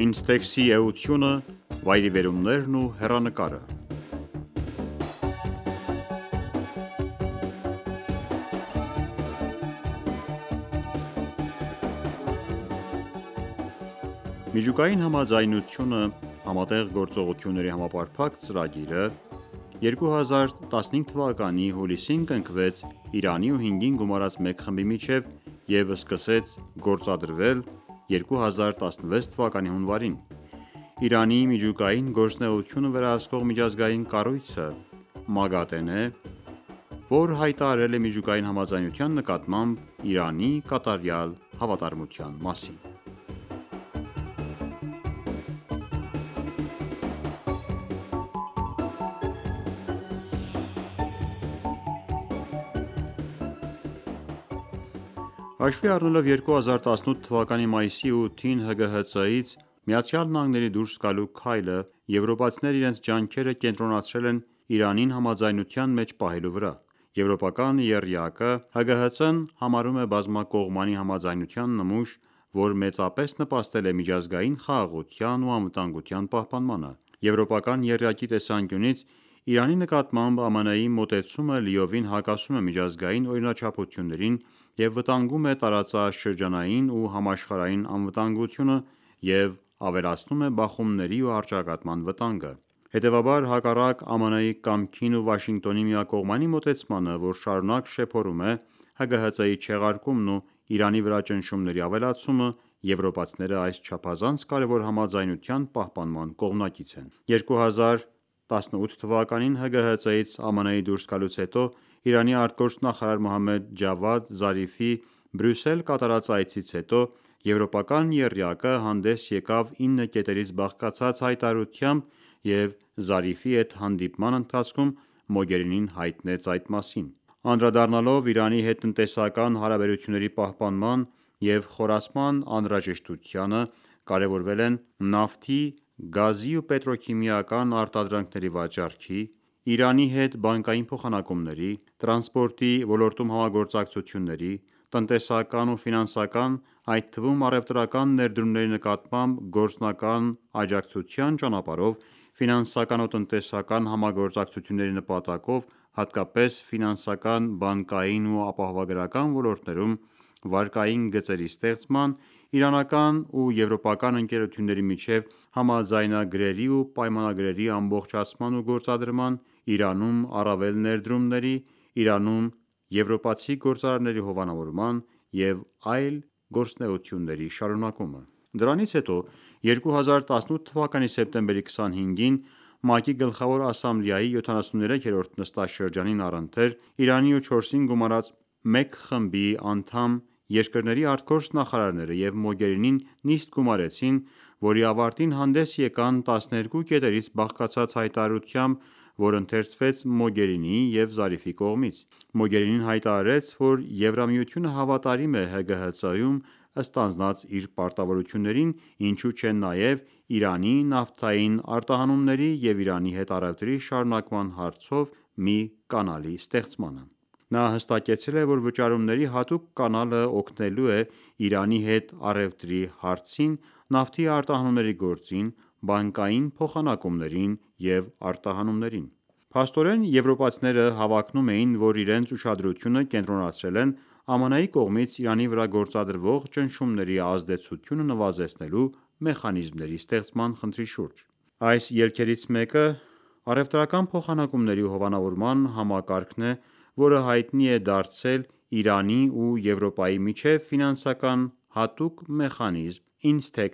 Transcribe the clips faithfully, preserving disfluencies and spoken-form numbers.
Ինստեքսի էությունը, վայրիվերումներն ու հեռանկարը Միջուկային համաձայնությունը (Համատեղ գործողությունների համապարփակ ծրագիրը) երկու հազար տասնհինգ թվականի հուլիսին կնքվեց Իրանի ու հինգին գումարած մեկ խմբի միջև և սկսեց գործադրվել երկու հազար տասնվեց թվականի հունվարին: Իրանի միջուկային գործունեությունը վերահսկող միջազգային կառույցը (ՄԱԳԱՏԷ) է, որ հայտարարել է միջուկային համաձայնության նկատմամբ Իրանի կատարյալ հավատարմության մասին: Հաշվի առնելով երկու հազար տասնութ թվականի մայիսի ութին ՀԳՀԾ-ից ԱՄՆ-ից դուրս գալու քայլը, եվրոպացիներն իրենց ջանքերը կենտրոնացրել են Իրանին համաձայնության մեջ պահելու վրա: Եվրոպական եռյակը ՀԳՀԾ-ն համարում է բազմակողմանի համաձայնության նմուշ, որ մեծապես նպաստել է միջազգային խաղաղության ու անվտանգության պահպանմանը: Եվրոպական եռյակի տեսանկյունից Իրանի նկատմամբ ԱՄՆ-ի մոտեցումը լիովին հակասում է միջազգային օրինաչափություններին և վտանգում է տարածաշրջանային ու համաշխարհային անվտանգությունը և ավելացնում է բախումների ու առճակատման վտանգը: Հետևաբար, հակառակ ԱՄՆ-ի կամքին ու Վաշինգտոնի միակողմանի մոտեցմանը, որ շարունակ շեփորում է ՀԳՀԾ-ի չեղարկումն ու Իրանի վրա ճնշումների ավելացումը, եվրոպացիները այս չափազանց կարևոր համաձայնության պահպանման կողմնակից են: երկու հազար տասնութ թվականին ՀԳՀԾ-ից ԱՄՆ-ի դուրս գալուց հետո Իրանի ԱԳ Մոհամմեդ Ջավադ Զարիֆի Բրյուսել կատարած այցից հետո եվրոպական եռյակը հանդես եկավ ինը կետերից բաղկացած հայտարարությամբ և Զարիֆի հետ հանդիպման ընթացքում Մոգերինին հայտնեց այդ մասին: Անդրադառնալով Իրանի հետ տնտեսական հարաբերությունների պահպանման և խորացման անհրաժեշտությանը, կարևորվել են նավթի, գազի ու պետրոքիմիական արտադրանքների վաճառքի, Իրանի հետ բանկային փոխանակումների, տրանսպորտի ոլորտում համագործակցությունների, տնտեսական ու ֆինանսական, այդ թվում առևտրական ներդրումների նկատմամբ գործնական աջակցության ճանապարհով ֆինանսական ու տնտեսական համագործակցությունների նպատակով, հատկապես ֆինանսական, բանկային ու ապահովագրական ոլորտներում վարկային գծերի ստեղծման, իրանական ու եվրոպական ընկերությունների միջև համաձայնագրերի ու պայմանագրերի ամբողջացման ու գործադրման, Իրանում առավել ներդրումների, Իրանում եվրոպացի գործարարների հովանավորման և այլ գործունեությունների շարունակումը: Դրանից հետո երկու հազար տասնութ թվականի սեպտեմբերի քսանհինգին ՄԱԿ-ի Գլխավոր ասամբլեայի յոթանասունութերորդ նստաշրջանին առընթեր Իրանի ու չորսին գումարած մեկ խմբի անդամ երկրների ԱԳՆ-ները և Մոգերինին նիստ գումարեցին, որի ավարտին հանդես եկան տասներկու կետերից բաղկացած հայտարարությամբ, որ ընթերցվեց Մոգերինիի և Զարիֆի կողմից: Մոգերինին հայտարարեց, որ Եվրամիությունը հավատարիմ է ՀԳՀԾ-ում ստանձնած իր պարտավորություններին, ինչու չէ նաև Իրանի նավթային արտահանումների և Իրանի հետ առևտրի շարունակման հարցով մի կանալի ստեղծմանը: Նա հստակեցրել է, որ վճարումների հատուկ կանալը օգնելու է Իրանի հետ առևտրի հարցին, նավթի արտահանումների գործին, բանկային փոխանակումներին և արտահանումներին: Փաստորեն եվրոպացիները հավակնում էին, որ իրենց ուշադրությունը կենտրոնացրել են ԱՄՆ-ի կողմից Իրանի վրա գործադրվող ճնշումների ազդեցությունը նվազեցնելու մեխանիզմների ստեղծման խնդրի շուրջ: Այս ելքերից մեկը առևտրական փոխանակումների հովանավորման համակարգն է, որը հայտնի է դարձել Իրանի ու Եվրոպայի միջև ֆինանսական հատուկ մեխանիզմ (INSTEX)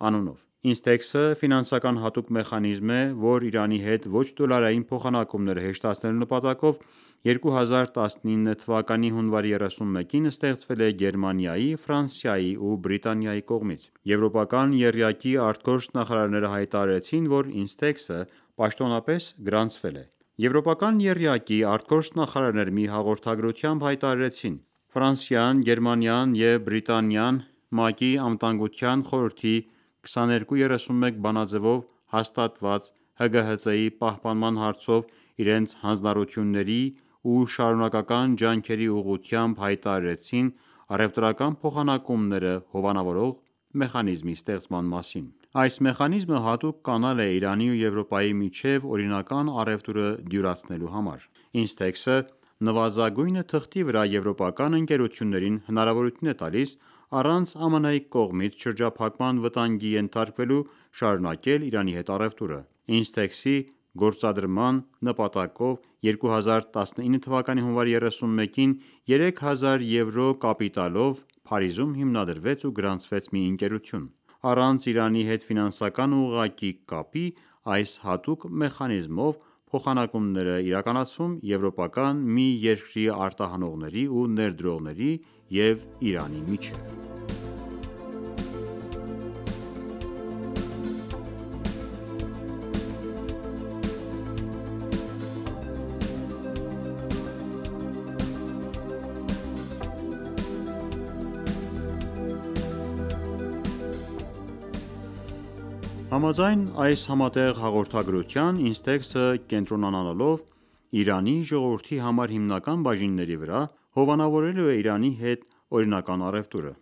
անունով: INSTEX-ը ֆինանսական հատուկ մեխանիզմ է, որ Իրանի հետ ոչ դոլարային փոխանակումները հեշտացնելու նպատակով երկու հազար տասնինը թվականի հունվարի երեսունմեկին ստեղծվել է Գերմանիայի, Ֆրանսիայի ու Բրիտանիայի կողմից: Եվրոպական եռյակի արտգործնախարարները հայտարարեցին, որ INSTEX-ը պաշտոնապես գրանցվել է: Եվրոպական եռյակի արտգործնախարարները մի հաղորդագրությամբ հայտարարեցին. «Ֆրանսիան, Գերմանիան և Բրիտանիան ՄԱԿ-ի Անվտանգության խորհրդի քսաներկու երեսունմեկ բանաձևով հաստատված ՀԳՀԾ-ի պահպանման հարցով իրենց հանձնառությունների ու շարունակական ջանքերի ուղղությամբ հայտարարեցին առևտրական փոխանակումները հովանավորող մեխանիզմի ստեղծման մասին»: Այս մեխանիզմը հատուկ կանալ է Իրանի ու Եվրոպայի միջև օրինական առևտուրը դյուրացնելու համար: INSTEX-ը նվազագույնը թղթի վրա եվրոպական ընկերություններին հնարավորություն է տալիս առանց ԱՄՆ-ի կողմից շրջափակման վտանգի ենթարկվելու շարունակել Իրանի հետ առևտուրը: INSTEX-ի գործադրման նպատակով երկու հազար տասնինը թվականի հունվարի երեսունմեկին երեք հազար եվրո կապիտալով Փարիզում հիմնադրվեց ու գրանցվեց մի ընկերություն: Առանց Իրանի հետ ֆինանսական ուղղակի կապի այս հատուկ մեխանիզմով փոխանակումներ է իրականացվում եվրոպական մի երկրի արտահանողների ու ներդրողների և Իրանի միջև: Համաձայն այս համատեղ հաղորդագրության INSTEX-ը կենտրոնանալով Իրանի ժողովրդի համար հիմնական բաժինների վրա հովանավորելու է Իրանի հետ օրինական առևտուրը: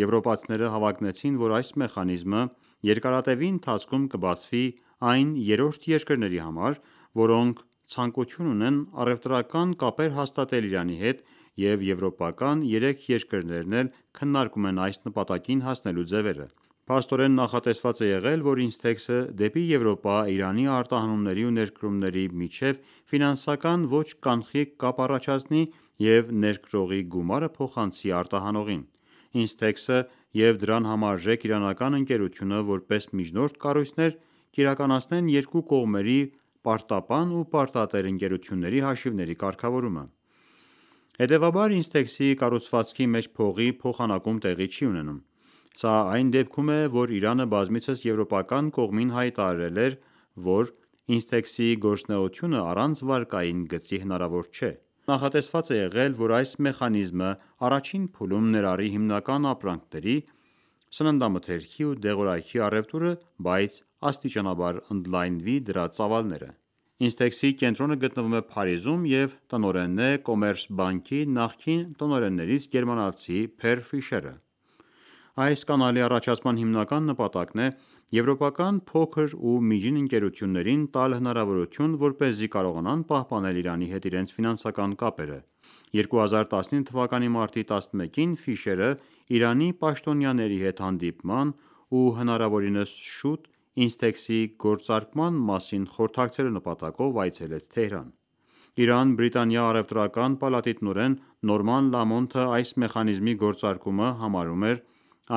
Եվրոպացիները հավակնեցին, որ այս մեխանիզմը երկարատևի ընթացքում կբացվի այն երրորդ երկրների համար, որոնք ցանկություն ունեն առևտրական կապեր հաստատել Իրանի հետ և եվրոպական երեք երկրներն էլ քննարկում են այս նպատակին հասնելու ձևերը: Փաստորեն նախատեսված է եղել, որ INSTEX-ը դեպի Եվրոպա Իրանի արտահանումների ու ներկրումների միջև ֆինանսական ոչ կանխիկ կապ առաջացնի և ներկրողի գումարը փոխանցի արտահանողին: INSTEX-ը և դրան համարժեք իրանական ընկերությունը որպես միջնորդ կառույցներ կիրականացնեն երկու կողմերի պարտապան ու պարտատեր ընկերությունների հաշիվների կարգավորումը: Հետևաբար INSTEX-ի կառուցվածքի մեջ փողի փոխանակում տեղի չի ունենում: Սա այն դեպքում է, որ Իրանը բազմիցս եվրոպական կողմին հայտարարել էր, որ INSTEX-ի գործունեությունը առանց վարկային գծի հնարավոր չէ: Նախատեսված է եղել, որ այս մեխանիզմը առաջին փուլում ներառի հիմնական ապրանքների, սննդամթերքի ու դեղորայքի առևտուրը, բայց աստիճանաբար ընդլայնվի դրա ծավալները: INSTEX-ի կենտրոնը գտնվում է Փարիզում և տնօրենն է Կոմերսբանկի նախկին տնօրեններից գերմանացի Per Fischer-ը: Այս կանալի առաջացման հիմնական նպատակն է եվրոպական փոքր ու միջին ընկերություններին տալ հնարավորություն, որպեսզի կարողանան պահպանել Իրանի հետ իրենց ֆինանսական կապերը: երկու հազար տասնինը թվականի մարտի տասնմեկին Ֆիշերը Իրանի պաշտոնյաների հետ հանդիպման ու հնարավորինս շուտ INSTEX-ի գործարկման մասին խորհրդակցելու նպատակով այցելեց Թեհրան: Իրան-Բրիտանիա առևտրական պալատի տնօրեն Նորման Լամոնթը այս մեխանիզմի գործարկումը համարում էր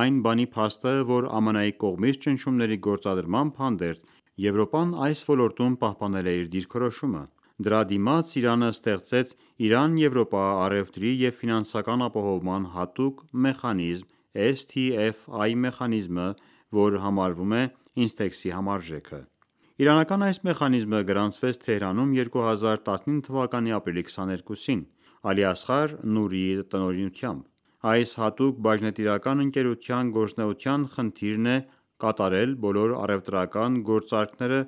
այն բանի փաստը, որ ԱՄՆ-ի կողմից ճնշումների գործադրմամբ հանդերձ Եվրոպան այս ոլորտում պահպանել է իր դիրքորոշումը: Դրա դիմաց Իրանը ստեղծեց Իրան-Եվրոպա առևտրի և ֆինանսական ապահովման հատուկ մեխանիզմ S T F I մեխանիզմը, որ համարվում է INSTEX-ի համարժեքը: Իրանական այս մեխանիզմը գրանցվեց Թեհրանում երկու հազար տասնինը թվականի ապրիլի քսաներկուսին Ալիասղար Նուրիի տնօրինությամբ: Այս հատուկ բաժնետիրական ընկերության գործունեության խնդիրն է կատարել բոլոր առևտրական գործարքները,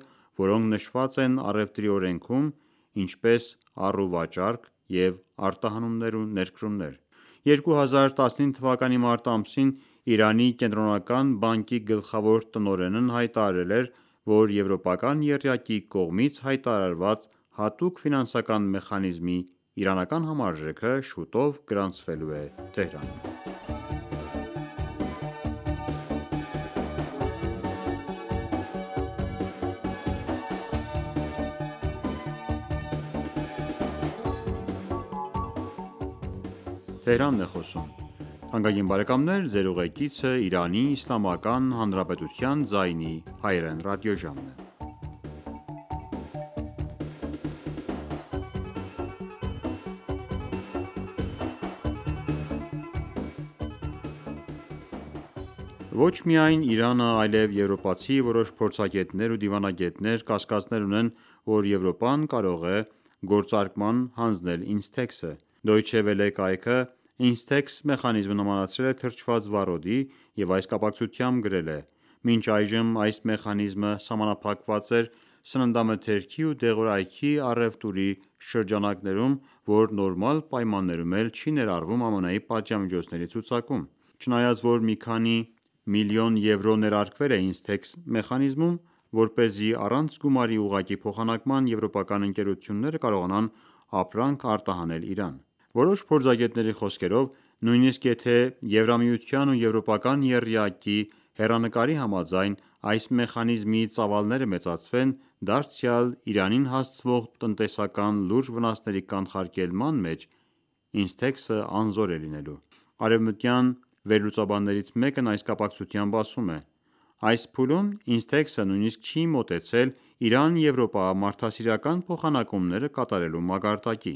որոնք նշված են առևտրի օրենքում, ինչպես առուվաճառք և արտահանումներ ու ներկրումներ: երկու հազար տասնինը թվականի մարտ ամսին Իրանի կենտրոնական բանկի գլխավոր տնօրենն հայտարարել էր, որ եվրոպական եռյակի կողմից հայտարարված հատուկ ֆինանսական մեխանիզմի իրանական համարժեքը շուտով գրանցվելու է Թեհրանում: Ոչ միայն Իրանը, այլև եվրոպացի որոշ փորձագետներ ու դիվանագետներ կասկածներ ունեն, որ Եվրոպան կարող է գործարկման հանձնել INSTEX-ը: Deutsche Welle կայքը INSTEX մեխանիզմը նմանացրել է թրջված վառոդի և այս կապակցությամբ գրել է. «Մինչ այժմ այս մեխանիզմը սահմանափակված էր սննդամթերքի ու դեղորայքի առևտուրի շրջանակներում, որ նորմալ պայմաններում էլ չի ներառվում ԱՄՆ-ի պատժամիջոցների ցուցակում: Չնայած որ մի քանի միլիոն եվրո ներարկվել է Instex մեխանիզմում, որպեսզի առանց գումարի ուղղակի փոխանակման եվրոպական ընկերությունները կարողանան ապրանք արտահանել Իրան: Որոշ փորձագետների խոսքերով, նույնիսկ եթե Եվրամիության ու եվրոպական եռյակի հեռանկարի համաձայն այս մեխանիզմի ծավալները մեծացվեն, դարձյալ Իրանին հասցվող տնտեսական լուրջ վնասների կանխարգելման մեջ Instex-ը անզոր է լինելու: Արևմտյան վերլուծաբաններից մեկն այս կապակցությամբ ասում է. «Այս փուլում Instex-ը նույնիսկ չի մոտեցել Իրան-Եվրոպա մարդասիրական փոխանակումները կատարելու մակարդակի»: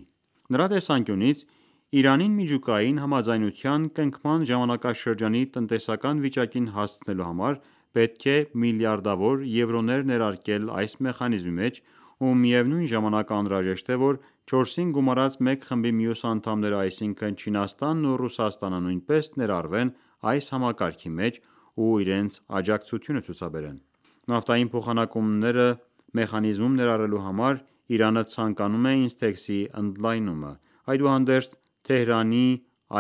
Նրա տեսանկյունից, Իրանին միջուկային համաձայնության կնքման ժամանակաշրջանի տնտեսական վիճակին հասցնելու համար պետք է միլիարդավոր եվրոներ ներարկել այս մեխանիզմի մեջ ու միևնույն ժամանակ անհրաժեշտ է, որ չորսին գումարած մեկ խմբի մյուս անդամները, այսինքն Չինաստանն ու Ռուսաստանը նույնպես ներառվեն այս համակարգի մեջ ու իրենց աջակցությունը ցուցաբերեն: Նավթային փոխանակումները մեխանիզմում ներառելու համար Իրանը ցանկանում է Instex-ի ընդլայնումը: Այդուհանդերձ, Թեհրանի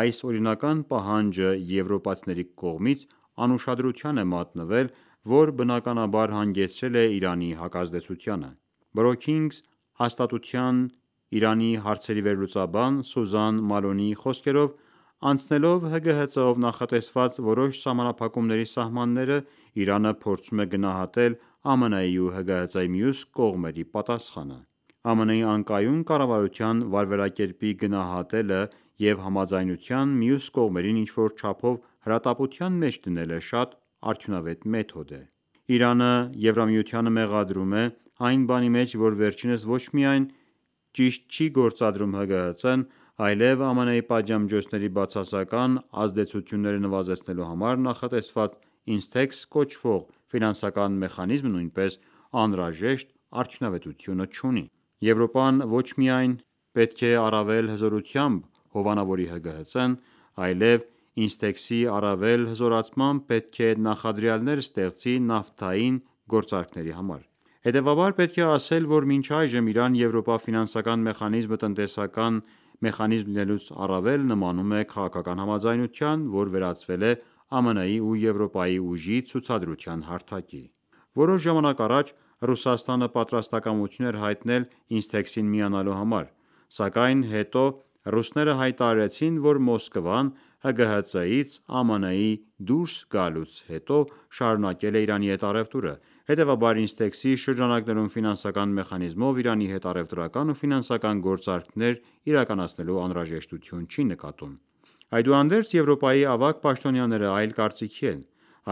այս օրինական պահանջը եվրոպացիների կողմից անուշադրության է մատնվել, որ բնականաբար հանգեցրել է Իրանի հակազդեցությանը: Brookings հաստատության Իրանի հարցերի վերլուծաբան Սուզան Մալոնիի խոսքերով, անցնելով ՀԳՀԾ-ով նախատեսված որոշ սահմանափակումների սահմանները, Իրանը փորձում է գնահատել ԱՄՆ-ի ու ՀԳՀԾ-ի մյուս կողմերի պատասխանը: ԱՄՆ-ի անկայուն կառավարության վարվելակերպի գնահատելը և համաձայնության մյուս կողմերին ինչ-որ չափով հրատապության մեջ դնելը շատ արդյունավետ մեթոդ է: Իրանը Եվրամիությանը մեղադրում է այն բանի մեջ, որ վերջինս ոչ միայն ճիշտ չի գործադրում ՀԳՀԾ-ն, այլև ԱՄՆ-ի պատժամիջոցների բացասական ազդեցությունները նվազեցնելու համար նախատեսված Instex կոչվող ֆինանսական մեխանիզմը նույնպես անհրաժեշտ արդյունավետությունը չունի: Եվրոպան ոչ միայն պետք է առավել հզորությամբ հովանավորի ՀԳՀԾ-ն, այլև Instex-ի առավել հզորացմամբ պետք է նախադրյալներ ստեղծի նավթային գործարքների համար: Հետևաբար, պետք է ասել, որ մինչ այժմ Իրան-Եվրոպա ֆինանսական մեխանիզմը տնտեսական մեխանիզմ լինելուց առավել նմանում է քաղաքական համաձայնության, որ վերածվել է ԱՄՆ-ի ու Եվրոպայի ուժի ցուցադրության հարթակի: Որոշ ժամանակ առաջ Ռուսաստանը պատրաստակամություն էր հայտնել Instex-ին միանալու համար, սակայն հետո ռուսները հայտարարեցին, որ Մոսկվան ՀԳՀԾ-ից ԱՄՆ-ի դուրս գալուց հետո շարունակել է Իրանի հետ առևտուրը: Հետևաբար, Instex-ի շրջանակներում ֆինանսական մեխանիզմով Իրանի հետ առևտրական ու ֆինանսական գործարքներ իրականացնելու անհրաժեշտություն չի նկատում: Այդուհանդերձ, Եվրոպայի ավագ պաշտոնյաները այլ կարծիքի են: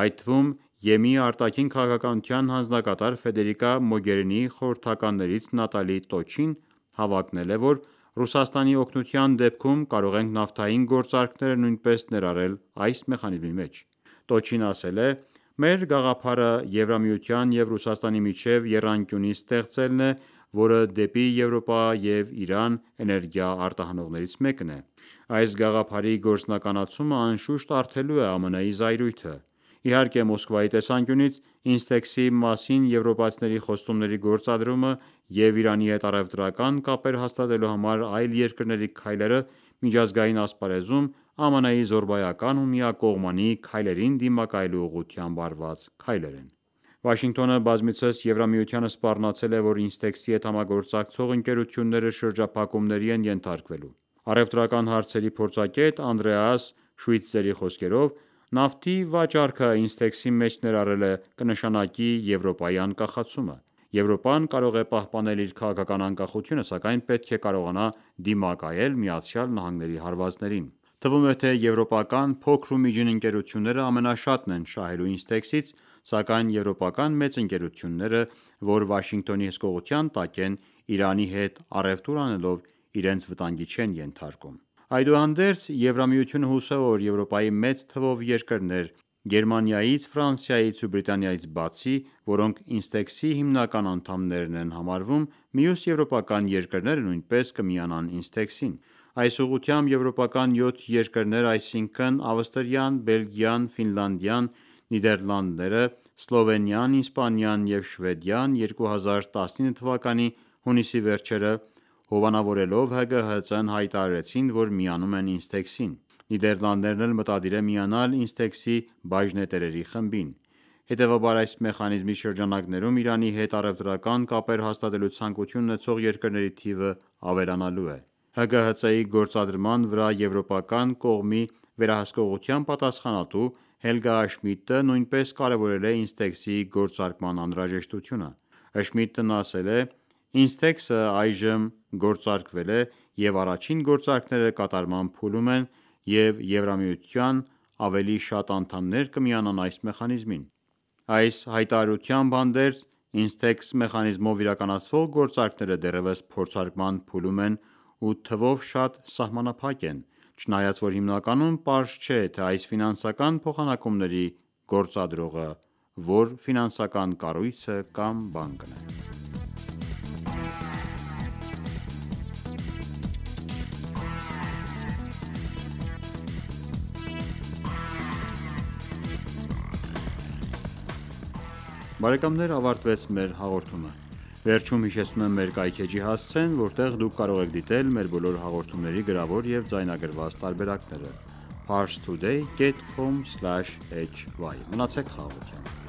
Այդ թվում ԵՄ արտաքին քաղաքականության հանձնակատար Ֆեդերիկա Մոգերինիի խորհրդականներից Նատալի Տոչին հավակնել է, որ Ռուսաստանի օգնության դեպքում կարող ենք նավթային գործարքները նույնպես ներառել այս մեխանիզմի մեջ: Տոչին ասել է. «Մեր գաղափարը Եվրամիության և Ռուսաստանի միջև եռանկյունի ստեղծելն է, որը դեպի Եվրոպա և Իրան էներգիա արտահանողներից մեկն է: Այս գաղափարի գործնականացումը անշուշտ առթելու է ԱՄՆ-ի զայրույթը: Իհարկե, Մոսկվայի տեսանկյունից, Instex-ի մասին եվրոպացիների խոստումների գործադրումը և Իրանի հետ առևտրական կապեր հաստատելու համար այլ երկրների քայլերը միջազգային ասպարեզում ԱՄՆ-ի զոռբայական ու միակողմանի քայլերին դիմակայելու ուղղությամբ արված քայլեր են»: Վաշինգտոնը բազմիցս Եվրամիությանը սպառնացել է, որ Instex-ի հետ համագործակցող ընկերությունները շրջափակումների են ենթարկվելու: Առևտրական հարցերի փորձագետ Անդրեաս Շվիթզերի խոսքերով, նավթի վաճառքը Instex-ի մեջ ներառելը կնշանակի Եվրոպայի անկախացումը: Եվրոպան կարող է պահպանել իր քաղաքական անկախությունը, սակայն պետք է կարողանա դիմակայել ԱՄՆ-ի հարվածներին: Թվում է, թե եվրոպական փոքր ու միջին ընկերությունները ամենաշատն են շահելու Instex-ից, սակայն եվրոպական մեծ ընկերությունները, որ Վաշինգտոնի հսկողության տակ են, Իրանի հետ առևտուր անելով իրենց վտանգի չեն ենթարկում: Այդուհանդերձ, Եվրամիությունը հուսով է, որ Եվրոպայի մեծ թվով երկրներ Գերմանիայից, Ֆրանսիայից ու Բրիտանիայից բացի, որոնք Instex-ի հիմնական անդամներն են համարվում, մյուս եվրոպական երկրները նույնպես կմիանան Instex-ին: Այս ուղղությամբ եվրոպական յոթ երկրներ, այսինքն Ավստրիան, Բելգիան, Ֆինլանդիան, Նիդերլանդները, Սլովենիան, Իսպանիան և Շվեդիան երկու հազար տասնինը թվականի հունիսի վերջերը հովանավորելով ՀԳՀԾ-ն հայտարարեցին, որ միանում են Instex-ին: Նիդերլանդներն էլ մտադիր է միանալ INSTEX-ի բաժնետերերի խմբին: Հետևաբար, այս մեխանիզմի շրջանակներում Իրանի հետ առևտրական կապեր հաստատելու ցանկություն ունեցող երկրների թիվը ավելանալու է: ՀԳՀԾ-ի գործադրման վրա եվրոպական կողմի վերահսկողության պատասխանատու Հելգա Շմիդտը նույնպես կարևորել է INSTEX-ի գործարկման անհրաժեշտությունը: Շմիդտն ասել է. «INSTEX-ը այժմ գործարկվել է և առաջին գործարքները կատարման փուլում են և Եվրամիության ավելի շատ անդամներ կմիանան այս մեխանիզմին»: Այս հայտարարությամբ հանդերձ, INSTEX մեխանիզմով իրականացվող գործարքները դեռևս փորձարկման փուլում են ու թվով շատ սահմանափակ են, չնայած որ հիմնականում պարզ չէ, թե այս ֆինանսական փոխանակումների գործադրողը որ ֆինանսական կառույցը կամ բանկն է: Բարեկամներ ավարտվեց մեր հաղորդումը: Վերջում հիշեցնում եմ մեր կայքէջի հասցեն, որտեղ դուք կարող եք դիտել մեր բոլոր հաղորդումների գրավոր և ձայնագրված տարբերակները: Parstoday.com/hy Մնացեք խաղաղությամբ: